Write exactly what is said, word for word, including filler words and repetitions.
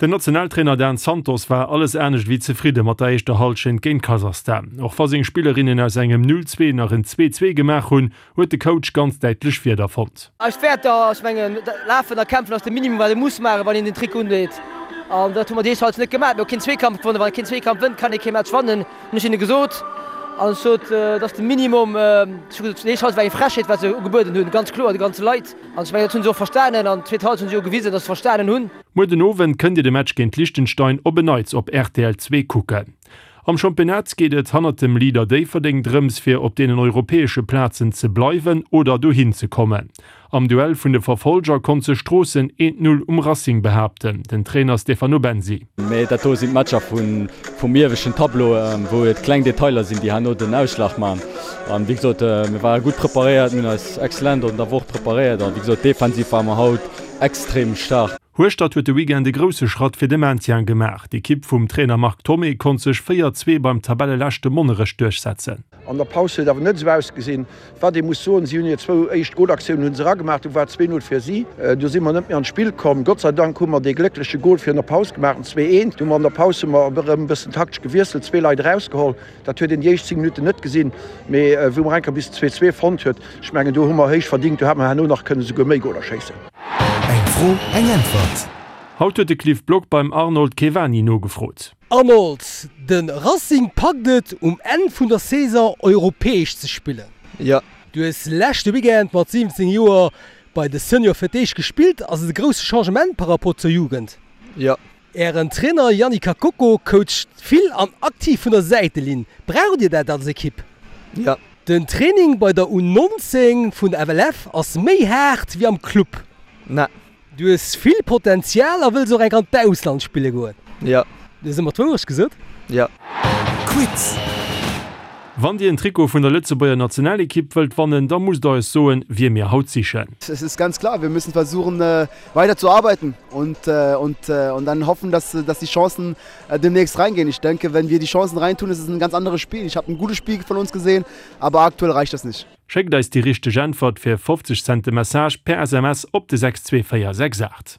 Den Nationaltrainer Dan Santos war alles anescht wéi zefridde mat der éischter Hallschent géint Kasachstan. Och wa seng Spillerinnen aus engem null zwee nach en zwee zwee gemaach hunn, huet de Coach ganz däitlech Wierder fonnt. Eis Wäerter, ech mengen, lafen a kämpfen ass de Minimum wat ee muss maachen, wann een den Trikot undeet. An dat hu mer déi éischt Halschent net gemaach. Mir hu keen Zweekampf gewonnen. Wann ee keen Zweekampf wënnt, kann ee kee Match wannen, hunn ech hinne gesot. An ech sot, et ass de Minimum. Ech hu gesot, déi éischt Halschent war eng Frechheet, wat se ugebueden hunn, ganz kloer de ganze Leit. An ech mengen, dat hu se och verstanen. An d'zweet Halschent hu se jo gewisen, datt se verstanen hunn. Muer den Owend kënnt Dir de Match géint Liechtenstein op en Neits op rtl zwee kucken. Am Championnat geet et hannert dem Leader Déifferdeng drëms, fir op deenen europäesche Plazen ze bleiwen oder dohin ze kommen. Am Duell vun de Verfolger konnt sech Stroossen eent Null um Racing behaapten. Den Trainer Stefano Bensi. Mee dat do sinn d'Matcher vum ieweschten Tableau, wou et kleng Detailer sinn, déi herno den Ausschlag maachen. An wéi gesot, mir ware gutt preparéiert, mir hunn eis exzellent an der Woch preparéiert an wéi gesot, defensiv ware mer haut extrem staark. Hueschtert huet de Weekend e grousse Schratt fir de Maintien gemaach. D'Ekipp vum Trainer Marc Thomé konnt sech véier zwee beim Tabelleleschte Monnerech duerchsetzen. An der Paus huet et awer net esou ausgesinn. Wat ee muss soen, si hunn hir zwou éischt Golaktiounen hu se eragemaach, du war et zwee Null fir si. Du si mer net méi an d'Spill komm. Gott sei Dank hu mer dee gléckleche Gol virun der Paus gemaach, den zwee eent. Du hu mer an der Paus hu mer erëm e bëssen taktesch gewiesselt, zwee Leit erausgeholl. Dat huet een déi éischt zéng Minutten net gesinn, mee wou mer enker bis zwee zwee fonnt huet, ech mengen do hu mer héich verdingt, do hätt mer herno nach kënnen esouguer méi Goler schéissen. Eng Fro, eng Äntwert. Haut huet de Cliff Block beim Arnold Kevani nogefrot. Arnold, de Racing packt et, um Enn vun der Saison europäesch ze spillen. Jo. Du hues leschte Weekend mat siwwenzéng Joer bei de Senior fir d'éischt gespillt. Ass et e grousse Changement par rapport zur Jugend? Jo. Ären Trainer Yannick Kakoko coacht vill an aktiv vun der Säitelinn. Braucht Dir dat als Ekipp? Jo. Den Training bei der U neunzéng vun der F L F ass méi haart wéi am Club. Na. Du hues vill Potenzial a wëlls och enk an d'Ausland spille goen. Jo. Du hues ëmmer d'Wourecht gesot? Jo. Quiz. Wann Dir en Trikot vun der Lëtzebuerger Nationalekipp wëllt wannen, da musst der eis soen, wie mir haut sichen. Es ist ganz klar, wir müssen versuchen weiter zu arbeiten und und und dann hoffen, dass dass die Chancen demnächst reingehen. Ich denke, wenn wir die Chancen reintun, ist es ein ganz anderes Spiel. Ich habe ein gutes Spiel von uns gesehen, aber aktuell reicht das nicht. Schéckt eis déi richteg Äntwert fir fofzeg Cent de Message per S M S op de sechs zwee véier sechs aacht.